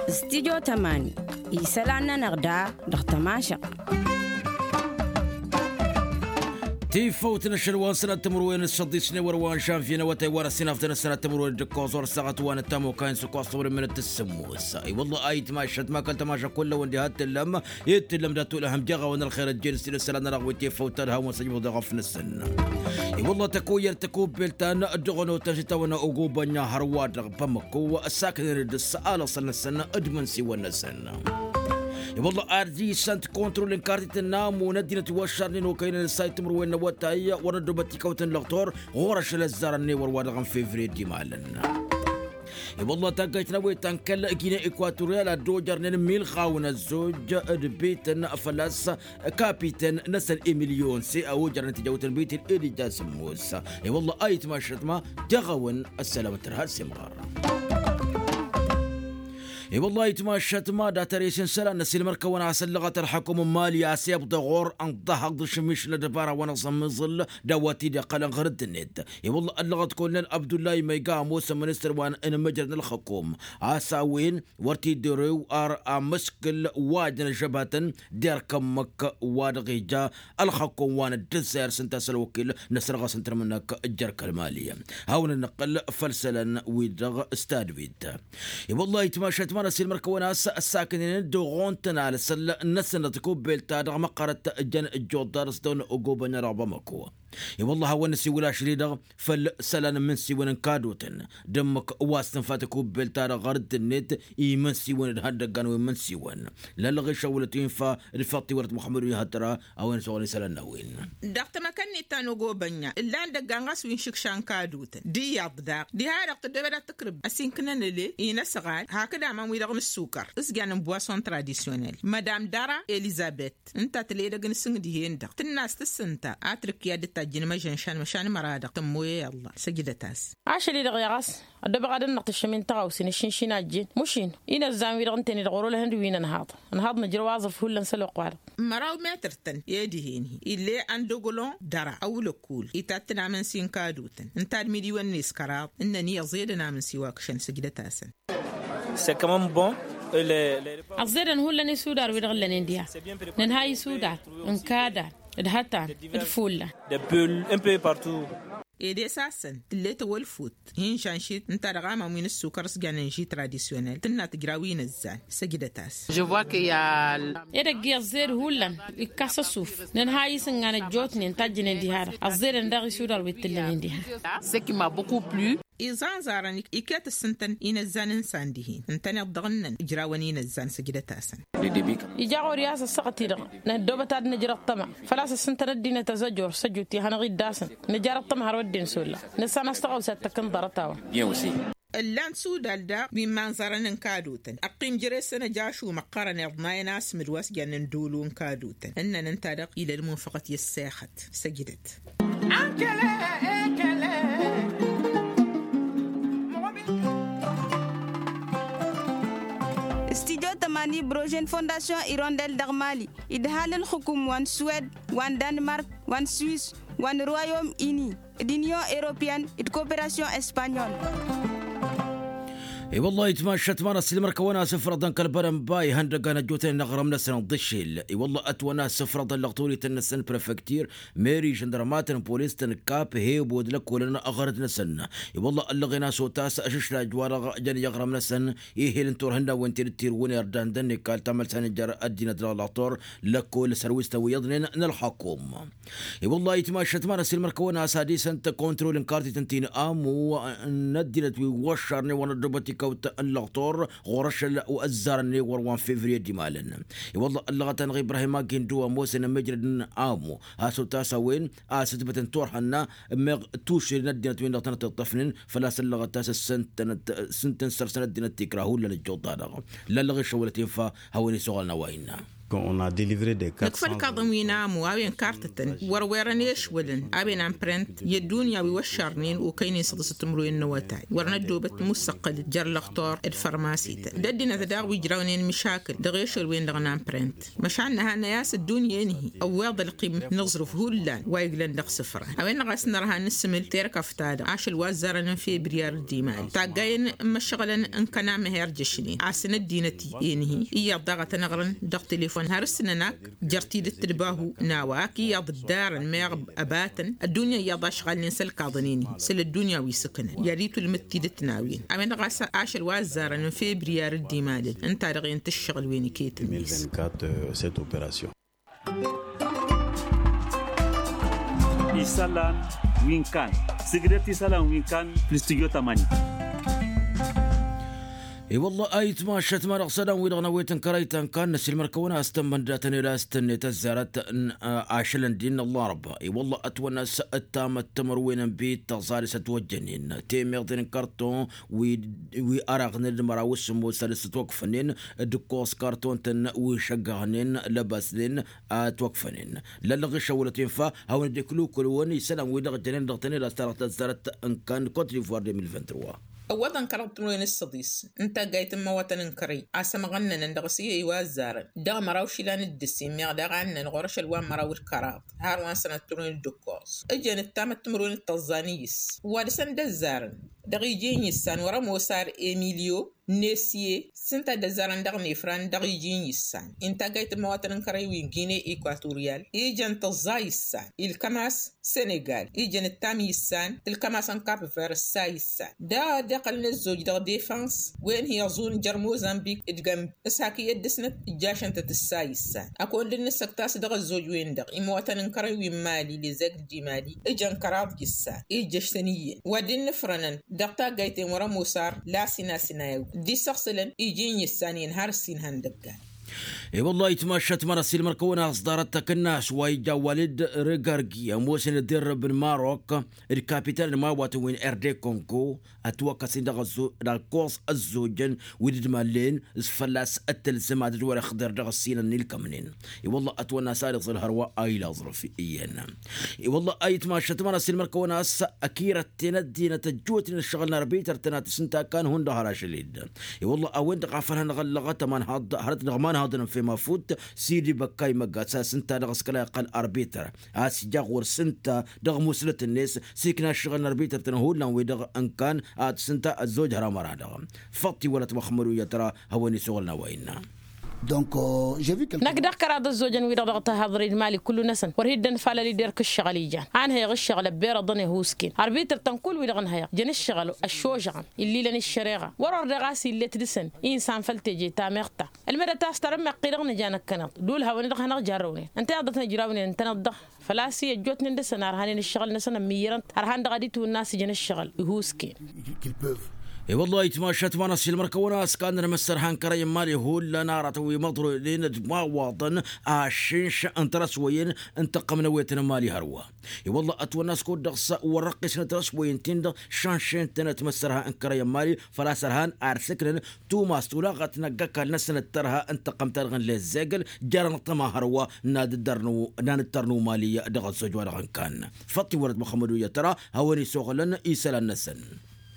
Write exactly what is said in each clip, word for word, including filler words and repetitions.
Stidyo tămani isălan-nănăɣ da dăɣ-tămašăɣt. Tifăwt n-ašăl wa n-sănat timǝrwen s-săḍisne wăr wa n-žanvye n-awătay wa n-ăssinaften s-sănat timǝrwen d-ǝkkoẓ wăr s-aɣăt wa n-ăttam okayăn s-ǝkkoẓ tăwăr mănăt tǝssǝmmos. I-wălla ayǝtmašăt ma kăl-tămašăt kullăwăn diha t-tǝllăm i-tǝllăm dat-tulăhăm jeɣ a-wa n-ălxer ăjjeen s-tǝlǝssălan n-ălɣăwit tifăwt ta d-hawăn-săjmăḍ dăɣ-afnăsăn. I-wălla tăkoyyăr tăkubbelt ta n-dăɣ-onăwtăn s-itawănna ogobănna hărwa-dăɣ bamăko ăssaknen d-ăssăalăsăn-năsăn d-imǝnsiwăn-năsăn. I-wălla ad-dd-isăn tikontrol n-kartităn n-amu n-ăddinăt iwăššarnen okăynăn ǝssay timǝrwen n-awătay wăr năddobăt tikawt n-lăɣtor ɣur-ašăl ăzzarăn n-ewăr wa-dăɣ n-fevriye d-imalăn. I-wălla taggayt n-awăytan kăl-gine ekwatoryal ad-dd-ojărnen milɣawăn ăzzoj d-bităn făl-a-s kapităn-năsăn emilyon se a ojărnen tijawtăn bităn edija sǝmmos. I-wălla ayǝtmašăt ma teɣăwăn ăssălamăt tărha s-imɣăr. I-wălla ayǝtmašăt ma dat-ăres n-isălan n-ăsilmăr-kăwăn a-s ăllăɣăt ălxăkum n-mali a-s ibḍa ɣur-ănn ănḍăhăḍ d-ašǝmmiš n-ăddăbara wa n-aẓǝmmǝẓǝl d-a-wa t-dd-iqqălăn ɣur-ăddinăt. I-wălla ăllăɣăt kolnel abdullahi măyga ămoos ămministăr wa n-inǝmmǝjrăd n-ălxăkum a-s a-wen wăr t-dd-orew ar amǝskǝl wa jăn ăžžăbatăn d-erk ǝmmǝk wa dăɣ-ija ălxăkko n-wa n-ăddăzzayăr s-ǝnta a-s ălwăkil n-asărɣas n-tărmǝnăk. Ǝjjăr kăl-mali hawăn-dd-nǝqqǝl făll-isălan-wi-dăɣ s-tadwit. I-wălla-hi tmašat ma n-ăsilmăr-kăwăn a-s ăssaknen d-oɣon-tăn alăsăl n-asănnăt kubbelt-ta-dăɣ măqqărăt jăn ǝjjuḍ-dd-ar s-dăɣ-năɣ ogobănna dăɣ-bamăko. I-wălla-hi a-wen năsiwǝl ašăl-i-dăɣ făll-isălan n-imǝnsiwăn n-kadotăn d-ǝmmǝk wa s-tǝnfa tăkubbelt-ta-dăɣ ɣur-ăddinăt imǝnsiwăn d-ihăndăggan wi n-imǝnsiwăn. Lăllăɣ išăwwălăt wi n-fa d-făṭṭ-i wăr t-muḥămmăd wi n-ihăḍra a-wen s-oɣăl isălan n-a-wen. Dăɣ-tamăkănnit ta n-ogobănna ǝllan dăgg-anɣas wi n-išǝkša n-kadotăn d-iyyăḍ daɣ diha-dăɣ tăddoobăd ad-tǝkrǝb ăsinkǝnăn ăle-i n-ăsɣal hakd aman-wi-dăɣ n-ǝssukăr s-jannen boison tradisyonel madam dara elizabet ǝnta tǝla edăgg n-sǝng dihen-dăɣ tǝnn'-as tǝssǝnta a trǝkki ad-dd-tajjǝn măžănšan măšan măra-dăɣ tămmoyăy ăllah săjdăt-as. Ašăl-i-dăɣ i-ɣas ăddoobăɣ ad-ǝnneɣ tǝššǝm-in tăɣawse n-aššǝnšǝn a ăjjeen măšin inăzzan-wi-dăɣ ǝnta-en-i-dăɣ wăr-olăhăn d-wi n-ănhaḍ ănhaḍ nǝjrăw aẓǝf hullan s-ălwăqq-wa-dăɣ. Măraw metăr-tăn i-dihen-hi ill'-e ăndogălon dăra ăwlăkkul itattan amǝnsi n-kadotăn ǝnta d-midǝy-wăn-net kăraḍ ǝnnăn-i ăẓedăn amǝnsi wa ǝkšăn săjdăt-asăn. Ăẓẓedăn hullan isudar wi-dăɣ ǝllănen diha nǝnhay isudar n-kadan d-hătan d-fullan. Ed e-s a-săn tǝll'-e tawălfut hin-žanšit ǝnta dăɣ-aman wi n-ǝssukăr s-jannen ži tradisyonel tǝnna tǝjraw inăzzan săjdăt-as. Edăgg-i ăẓẓed hullan ikkas ăsuf nǝnhay isǝngan ăjjootnen tajjǝnen diha-dăɣ ăẓẓedăn daɣ isudar wi t-ǝllănen diha. Iẓanẓarăn iket ǝssǝntăn inăzzan n-isan dihen ǝntăneḍ dăɣ-ǝnnăn ǝjrawăn inăzzan săjdăt-asăn. Ija ɣur-i a-s ăssaɣăt-i-dăɣ năddoobăt ad-nǝjrăḍ tăma făl-a-s ǝssǝntăn ăddinăt ăzăjor s-ăjut i-hanăɣ-dd-asăn nǝjarăḍ tăma har wădden s-olla nǝssan a-s tăɣawse ad-tăkkăn ḍarăt-a-wa. Ǝllan sudal daɣ wi n-imanẓarăn n-kadotăn ăqqim jere-săn ăjašum ăqqărăn iḍnayăn asmǝd wa s-jannen dolo n-kadotăn ǝnnăn ǝnta-dăɣ ila ălmunfăɣăt i-ăssexăt. Săjdăt. Studyo tămani brožen fondasyon irondel dăɣ-mali idhal ǝlxǝkum wa n-swed wa n-danmark wa n-swis wa n-royom ini d-inyon europeyăn d-koperasyon espanyol. I-wăllah itmašat ma n-asilmăr kăwăn-as ǝfrăḍăn kăl-bărănba ihăndăggan ăjjootnen n-aɣrǝm-năsăn ḍǝšel. I-wăllah ătwăn-as ǝfrăḍăn lăɣturităn-năsăn prefektir meri žăndărmatăn polis-tăn kap hebo d-lăkkolăn aɣărăt-năsăn. I-wăllah ăllăɣen-as otas ašǝšlaj-wa-dăɣ jăn i-aɣrǝm-năsăn ihel n-turhǝnnawen ti dd-tirǝwǝn irdan d-ănnikal tamălsa n-ijăr ăddinăt dăɣ-laṭur lăkkol săr wi s-tăwwǝyăḍnen n-ălxăkum. I-wăllah itmašat ma n-asilmăr kăwăn-as ad-isăn tăkontrol n-kartităn ti n-amu n-ăddinăt wi wăššarnen wăr năddobăt ikawt n-lăɣtor ɣur-ašăl ăzzarăn n-ewăr wa n-fevriye d-imalăn. I-wăllah ăllăɣăt-anăɣ ibrahim agindu ămoosăn ămijrăd n-amu a-s otas a-wen a-s ǝtbătăn turhănna meɣ tušǝl n-ăddinăt-win-dăɣ tănăt-iṭṭăfnen făl-a-s ăllăɣăt a-s ǝssǝntăn săr-săn ăddinăt tikra hullan ǝjjuḍ-ta-dăɣ. Lăllăɣ išăwălăt infa hawăn-isuɣălăn a-wa innă. Nǝkfă ǝlkaḍăn wi n-amu a-wen kartătăn wăr werăn ešwălăn a-wen amprent i-ăddunya wi wăššărnen okăynen săḍǝsăt timǝrwen n-awătay wăr năddoobăt musăqqălăt jer-lăxtor d-fărmasităn d-ăddinăt daɣ wi ǝjrawnen măšakǝl dăɣ-ešăl-wen-dăɣ n-amprent. Măšan nǝhannăy a-s ăddunya-in-hi ăwweḍ ălqim n-aẓrǝf hullan wa iglăn dăɣ-isǝfran a-wen-dăɣ a-s nărha n-asǝmǝl terkăft-ta-dăɣ ašăl wa ăzzarăn n-febriyar d-imali taggayăn n-imăššăɣǝlăn n-kănam her-jăšnen a-s n-ăddinăt-en-hi iyyăḍ daɣ a tăn-ăɣrǝn dăɣ-telefon har ǝssǝnăn ak jer-tidǝt d-bahu n-a-wa ak iyyăḍ ǝddarăn meɣ ăbatăn ăddunya iyyăḍ ašɣalnen s-ălkaḍăn-en-hi săl ăddunya wi s-ǝknăn i-ad-itulmǝd tidǝt n-a-wen a-wen-dăɣ a-s ašăl wa ăzzarăn n-febriyar d-imalăn ǝnta-dăɣ i-ǝnta ǝššăɣǝl wen iket-net. Isălan wi n-kan sǝgdăt isălan wi n-kan fǝll-studyo tămani. I-wălla a itmašăt ma dăɣ-isălan-wi-dăɣ n-awet n-kărăy ta n-kan năsilmăr-kăwăn a-s tămmăndatăn ed a-s tǝnnet ăzzarăt n-ašălăn din n-ăllarba i-wălla ătwănna a-s ǝttamăt timǝrwen n-bit tăẓalǝs ătwăjjănen temeḍen n-kărton wi ăraɣnen d-măraw s-sǝmmos săl s-ătwăkfănen d-ǝkkoẓ kărton-tăn wi šăggăɣnen lăbasnen ătwăkfănen lăllăɣ išăwălăt infa hawăn-dd-iklǝwkǝlwăn isălan-wi-dăɣ jănen dăɣ-tăned a-s ta dăɣ-tăzzarăt n-kan d-kotdivoar de mil vingt-trois. Ăwwăḍăn kăraḍ timǝrwen s-săḍis n-taggayt n-imawătăn n-kărăy a-s ămɣănnănăn dăɣ-s i-iwa ăzzarăn dăɣ-măraw išilan d-ǝssin meɣ daɣ a ǝnnăn ɣur-ašăl wa n-măraw d-kăraḍ har wa n-sănăt timǝrwen d-ǝkkoẓ ǝjăn ǝttamăt timǝrwen d-tăẓẓa n-iyyǝs wa dăɣ-săn d-ăzzarăn dăɣ-iji n-iyyǝssan wăr-ămoos ar emilyo nesye s-ǝnta a dd-ăzzarăn dăɣ-nefran dăɣ-iji n-iyyǝssan. Intaggayt n-imawătăn n-kărăy wi n-gine ekwatoriyal ijăn tăẓẓa iyyǝssan ilkăm-as senegal ijăn ǝttam iyyǝssan tǝlkăm-as n-kapver ǝssa iyyǝssan daɣ dd-iqqălăn ăzzoj dăɣ-defăns wen hi-ăẓun jer-mozănbik d-gămb s-hak iyyăt dăɣ-snăt ǝjjašăn-tăt ǝssa iyyǝssan. Ăkund dd-nǝssăkt a-s dăɣ-ăzzoj-wen-dăɣ imawătăn n-kărăy wi n-mali lezăgg d-imali ǝjăn kăraḍ j-ǝssan ijjăš-tăn iyyăn wa dd-innǝfrănăn dăɣ-taggayt-en wăr-ămoos ar lasinasinayăw dd-isăɣsǝlăn iji n-iyyǝssan iyyăn har ǝssin han dăggan. I-wăllah itmašat măra s-ilmăr-kăwăn-as ḍarăt takǝnnas wa ija walid rǝgargi ămoosăn d-irrăb n-marok d-kapitan n-imawatăn wi n-erde kongo ătwăkkăsnen dăɣ-ăzzo dăɣ-ăkkoẓ ăzzojăn wi dd-mallen s-fălla-s ăttălzăm ad-dd-wăr-ixḍer dăɣ-ăssinăn n-ilkămnen. I-wăllah ătwănna s-ad-iẓǝl hărwa a ila aẓrǝf iyyăn. I-wăllah a itmašat măra s-ilmăr-kăwăn-as ăkirăt-ten ăddinăt ăjjootnen ǝššăɣǝl n-arbităr-tăn ad-tǝsǝnta kan hundăɣ har ašăl-dd. I-wăllah a-wen-dăɣ a făl hanăɣ-ăllăɣăt ămanhaḍ hărăt dăɣ-imanhaḍăn n-fem afut sidi băkkay măggas a-s ǝnta dăɣ-s kăla iqqăl arbităr a-s ija ɣur-s ǝnta dăɣ-musǝlăt-net s-ikna ǝššăɣǝl n-arbităr-tăn hullan-wi-dăɣ ǝnkan ad-tǝsǝnta ăzzoj hărămăra-dăɣ. Făṭṭ iwălăt măxmăd uyyăt ra hawăn-isăɣǝl n-a-wa innă. Năkk dăɣ-kăraḍ ăzzojăn-wi-dăɣ dăɣ-tahăḍri d-mali kullu-năsăn wăr hi-dd-ănfalăl-i derk ǝššăɣǝl ijan a ǝnhăyăɣ ǝššăɣǝl ăbberăḍăn ihusken arbităr-tăn kull-wi-dăɣ ǝnhăyăɣ jăn ǝššăɣǝl ăššožăɣăn illilăn ǝššăreɣa wăr-ordeɣ a-s illet dăɣ-săn insan făll-teje tameɣ ta ǝlmădăt a-s tărǝmmeɣ-t-i-dăɣ nǝja năkkăneḍ dul hawăn-dăɣ hanăɣ-jarrăwnen ǝnta i-ad-ḍăt-nǝjrawnen ǝntăneḍ-dăɣ. Făl-a-s i-ăjjootnen dăɣ-săn arhanen ǝššăɣǝl-năsăn ămmiyyărăn-t ărhan dăɣ-ad-itwǝnna a-s ijăn ǝššăɣǝl. Ihusken. I-wăllah itmašat ma n-ăssiilmăr-kăwăn a-s kannăn măssărhan kărăy n-imali hullan aratăn wi măḍroynen d-imawaḍăn ašǝnš n-tărăswăyen n-tăqqăm n-ewetăn n-imali hărwa. I-wăllah ătwănna a-s kud-dăɣ s-wăr-ăqqisnăt tărăswăyen-tin-dăɣ šănšen-tănăt măssărhan n-kărăy n-imali făl-a-s ărhan ar sǝknăn tumas tulaɣăt n-ăgg-ăkall-năsăn d-tărha n-tăqqăm-ta-dăɣ n-lezzeggăl jer-anăṭṭăma hărwa n-ad-dd-ărnu n-ad-nǝttărnu mali dăɣ-ăzzoj wa dăɣ-ănkan. Făṭṭ iwălăt măxmăd uyyăt ra hawăn-isoɣlăn isălan-năsăn.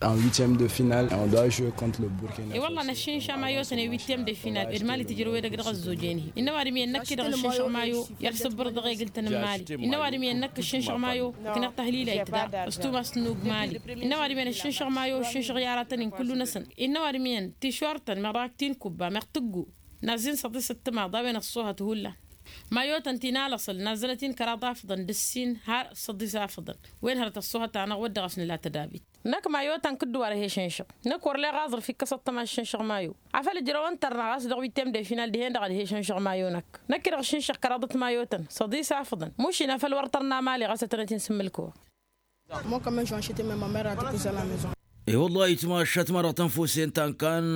En huitième de finale on doit jouer contre le burkina. I-wălla năššǝnša mayotăn i-huitième de finale d-mali tǝjrăw edăgg dăɣ-ăzzoj-en-hi innă ăwadǝm iyyăn năkk-i-dăɣ ǝššǝnšăɣ mayo i-ad-sǝbbăr dăɣ-egǝl-tăn n-mali. Innă ăwadǝm iyyăn năkk ǝššǝnšăɣ mayo ǝkneɣ tăhlila itdar s-tumas n-ug mali. Innă ăwadǝm iyyăn ǝššǝnšăɣ mayo ǝššǝnšăɣ i-aratăn-in kullu-năsăn. Innă ăwadǝm iyyăn tišortăn meɣ dăɣ-ak ti n-kubba meɣ tǝggu. Nazzin săḍisăt timaḍ a-wen ăṣṣuhăt hullan. Mayotăn ti n-alăṣăl nazzălăt-in kăraḍ afǝḍăn d-ǝssin har săḍis afǝḍăn. Wen hărăt ăṣṣuhăt-anăɣ wăr dăɣ-s nǝla tădabit. Năkk mayotăn kǝddǝw ar he-šǝnšăɣ. Năkk wăr leɣ aẓrǝf ikkăs ăṭṭăma ǝššǝnšăɣ mayo. Afăl ǝjrăwăn tărnaɣ a-s dăɣ-wittem de final dihen-dăɣ ad-he-šǝnšăɣ mayo-năk. Năkk-i-dăɣ ǝššǝnšăɣ kăraḍăt mayotăn săḍis afǝḍăn mušin afăl wăr tărna mali ɣas ătănăt-in sǝmmǝlkăwăɣ. I-wăllah itmašat ma dăɣ-tănfusen ta n-kan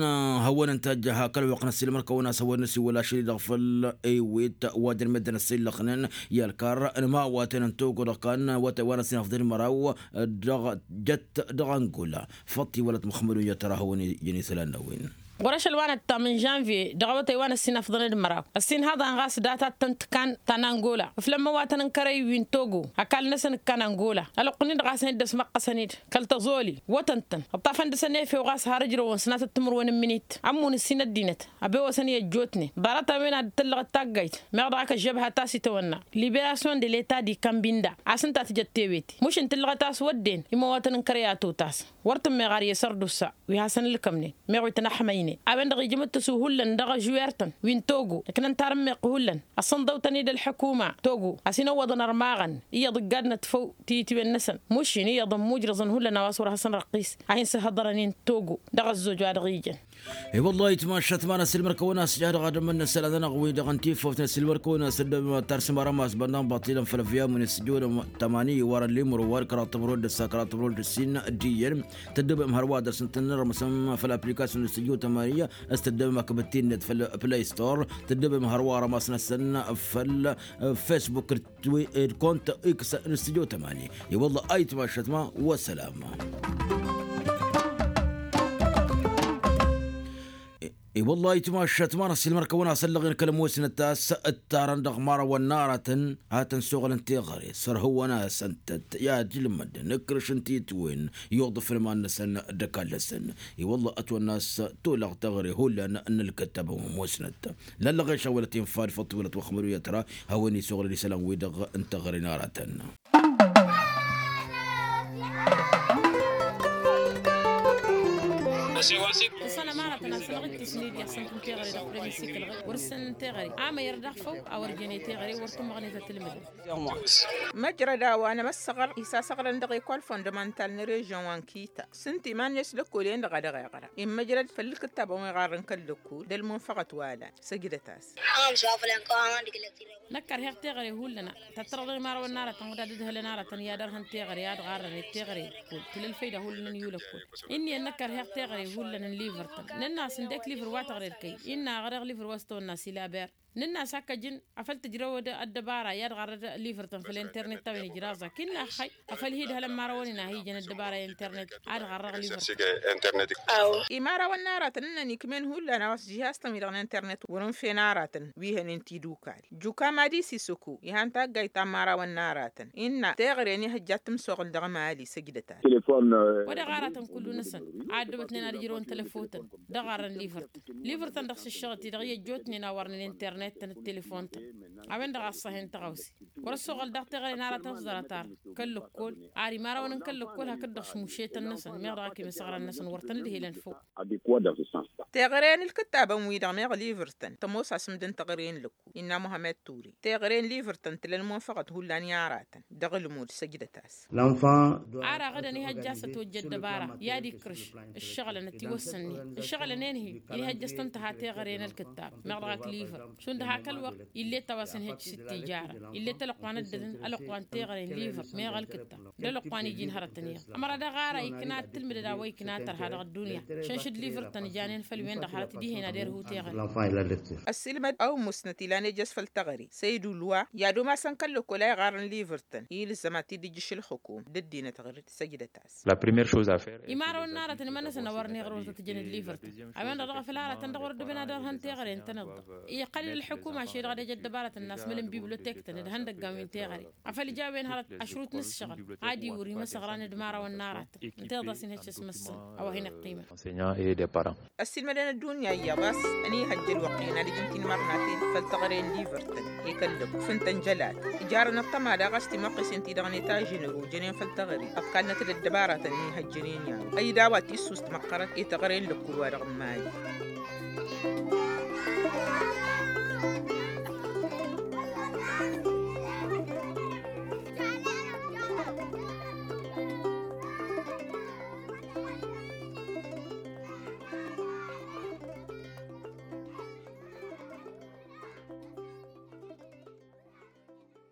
hawăn-dd-tajja hak ălwăqq n-ăssiilmăr-kăwăn a-s hawăn-dd-năsiwăl ašăl-i-dăɣ făll-ewet wa dăr-meddǝn ăssiillăxnen i-ălkarr n-imawatăn n-togo dăɣ-kan wa n-ăssinăfḍăn măraw dăɣ-jăt dăɣ-angola. Făṭṭ iwălăt măxmădun i-ad-tăra hawăn-ijăn isălan n-a-wen. Ɣur-ašăl wa năttam n-žănvye dăɣ-awătay wa n-ăssin afḍăn d-măraw ăssin haḍan ɣas data tăn-tǝkkan ta n-angola ǝflăn măwatăn n-kărăy wi n-togo. Ăkall-năsăn ǝkkan angola ălwăqq-nin-dăɣ a-s hin-dd-ăsmăqqăsăn-dd kăl-tăẓoli wătăn-tăn ǝṭṭafăn dăɣ-săn efew ɣas har ǝjrăwăn sănatăt timǝrwen n-minit ămmun ǝssin ăddinăt. Abewăsăn i-ăjjootnen ḍarăt-a-wen ad-dd-tăllăɣăt taggayt meɣ dăɣ-ak ăžžăbha ta s-itawănna liberasyon de leta di kambinda a-s ǝnta a tǝjăt tewete mušǝn tǝllăɣăt a-s wădden imăwatăn n-kărăy a totas. Wăr tǝmmeɣ ar i-sărdusa wi hasăn-ǝlkămnen meɣ wi tăn-ăḥmăynen a-wen-dăɣ ijmǝd tăsu hullan dăɣ-ažuyăr-tăn wi n-togo ǝknăn tarǝmmeɣt hullan ăssănḍăw-tăn-dd ălḥukuma togo a-s inăwwăḍăn ărmaɣăn iyyăḍ ǝggadnăt făw tiyǝtwen-năsăn mušin iyyăḍ ămmujrăẓăn hullan a-wa s-wăr hasăn-răqqis a hin-sǝhhăḍărăn-in togo. Dăɣ-ăzzoj wa dăɣ-ijăn. I-wăllah itmašat ma n-asǝlmăr-kăwăn-as ija dăɣ-ad-ămmănnăsăl ad-anăɣ-wi-dăɣ n-tifăwt n-asǝlmăr-kăwăn ad-săddăbăm ad-tarsǝm arămas bănnan baṭilăn făll-ăvyamu n-asǝjjudăm tămani iwar ăllimru wa d-kăraḍ tămrod d-ăssa kăraḍ tămrod d-ǝssin d-iyyăn. Tăddăbăm hărwa dăr-s n-tăn-nărmăsăm făll-aplikasyon n-asǝjju tămani. S-tăddăbăm akbăt-in-net făll-play store tăddăbăm hărwa arămas-năsăn făll-facebook d-kont x n-asǝjju tămani. I-wăllah ayǝtmašat ma. Wăssălam. I-wăllah ayǝtmašat ma n-asǝlmăr-kăwăn asăllăɣ-in kăl-ămoosnăt a-s ǝttarăn dăɣ-imărawăn n-aratăn ad-tăn-suɣǝlăn teɣăre sărhǝwăn-asăn-tăt i-ad-ilmădăn ǝkrǝš n-titwen. Iwăḍăf n-iman-năsăn d-ăkall-năsăn. I-wăllah ătwănna a-s tolăɣ teɣăre hullan n-ǝlkǝttab ămoosnăt. Lăllăɣ i-šawălăt infa d-făṭṭ wălăt wăxmăr wi ătra hawăn-isuɣǝlăn isălan-wi-dăɣ n-teɣăre n-aratăn. Tăsănăm aratăn asănăɣ-dd tisnidi asăn-tăn teɣăre dăɣ-premisikǝlɣe wăr-săn teɣăre amăyăr daɣ făw a wăr-jăne teɣăre wăr tǝmmăɣne tăt-ǝlmǝdăn. Măjrăd a-wa n-emăssăɣăr isasăɣrăn dăɣ-ekol fondămantal n-režyon wa n-kita s-ǝnta iman-net lăkkol-en-dăɣ a dăɣ-iɣra immăjrăd făll-kǝttabăn wi ɣarrăn kăl-lăkkol d-ălmunfăɣăt wa lan. Săjdăt-as. Năkk ărheɣ teɣăre hullan. Tăttărăḍ i-imărawăn n-aratăn wăr dd-ǝdhǝlăn aratăn i-ad-ărhăn teɣăre ad-ɣarrăn i-teɣăre. Kul tǝla ălfăyda hullan n-iwǝl ăkkol. Inn'-iyyăn năkk ărheɣ teɣăre hullan n-livăr-tăn nǝnn'-as ǝndek livăr wa tăɣred kăy-i inn'-a ăɣreɣ livăr wa s-tăwănna s-ilaber. Nǝnn'-as hakk ăjǝn afăl tǝjrăwăd ăddăbara i-ad-ɣarrăd livăr-tăn făll-internet-ta-wen ijraẓ-ak inn'-aɣ xăy. Afăl hi-ǝdhălăn imărawăn-in a hi-ijăn ăddăbara i-internet ad-ɣarrăɣ livăr-tăn. Imărawăn n-aratăn ǝnnăn ikm'-en hullan a-wa s-jihaz-tăn-wi-dăɣ n-internet wăr-ǝnfen aratăn wi hănen tidukal. Jukam adisi săku ihan taggayt ta n-imărawăn n-aratăn innă teɣăre n-ihăjja ad-tǝmsoɣǝl dăɣ-emali săjdăt-as. Wa dăɣ-aratăn kullu-năsăn a ăddăbătnen ad-ǝjrăwăn tălăfotăn dăɣ-arrăn livăr-tăn. Livăr-tăn dăɣ-s ǝššăɣăt-i-dăɣ i-ăjjootnen a wărnen internet-tăn d-telefon-tăn. A-wen-dăɣ a ăṣṣăhen tăɣawse wăr-ăssoɣăl daɣ teɣăre n-aratăn s-ḍarăt ar kăl-lăkkol ar imărawăn n-kăl-lăkkol hakd-dăɣ šmušetăn-năsăn meɣ dăɣ-ak imǝsɣărăn-năsăn wăr tăn-ǝdhilăn făw. Teɣăre n-ǝlkǝttabăn-wi-dăɣ meɣ livăr-tăn tămoos asǝmdăn teɣăre n-lăkkol innă muhămed ture teɣăre n-livăr-tăn tǝla ălmunfăɣăt hullan i-aratăn. Dăɣ-ǝlmud săjdăt-as. Ar aɣǝdăn ihăjja a-s ătwăjja ăddăbara i-ad-ikrǝš ǝššăɣǝlăn ătiwăssănnen ǝššăɣǝlăn-en-hi. Inihăjja a-s tăn-tǝha teɣăre n-ălkǝttab meɣ dăɣ-ak livăr šund hak ălwăqq ill'-e ătawasăn ihăjj s-dd-tijara ill'-e tălăqquan ăddădăn ălăqquan teɣăre n-livăr meɣ ălkǝttab. D-ălăqquan iji n-hărătăn iyyăḍ ămăra dăɣ-ara ikna ad-tǝlmǝdăd a-wa ikna tărha dăɣ-ăddunya. Šănšǝd livăr-tăn janen făll-wen-dăɣ hărăt dihen ad-irhu teɣăre. Ăssiilmăd a umusnăt ilan ejăs făll-teɣăre săydulwa i-ad-umasăn kăl-lăkkol a iɣarrăn livăr-tăn ilzăm ad-t-dd-ijjǝš ălxukum d-ăddinăt ɣǝr-dd săjdăt-as. Imărawăn n-aratăn iman-năsăn a wărăn iɣrăwăn tăt-ǝjăn d-livăr-tăn a-wen-dăɣ dăɣ-făl aratăn dăɣ-wăr dd-ǝbǝn ad-ărhăn teɣăre ǝntăneḍ-dăɣ. Iqqăl-dd ălḥukuma šedăɣ ad-ej ăddăbaratăn n-a-s mălăn bibliotek-tăn d-ihăndăggan wi n-teɣăre afăl ija a-wen hărăt ašrut n-ǝššăɣǝl ad-iwǝr imăsăɣran d-imărawăn n-aratăn. Ǝnta iḍas-in hăššăs măssăn a-wa hin-iqqimăn. Ăssiilmădăn ăddunya iyyăḍ a-s ănihăjja ălwăqq-en ad-ǝjǝn tinmărnaten făll-teɣăre n-livăr-tăn i-kăl-lăkk fǝntăn jălat. Ǝjarăn ăṭṭăma daɣ a-s timăqqesen-ti-dăɣ n-etažin ărujănen făll-teɣăre ăḍkalnăt-dd ăddăbaratăn n-ihăjjănen i-a-wa ăydawa tissust măqqărăt i-teɣăre n-lăkkul wa dăɣ-n mali.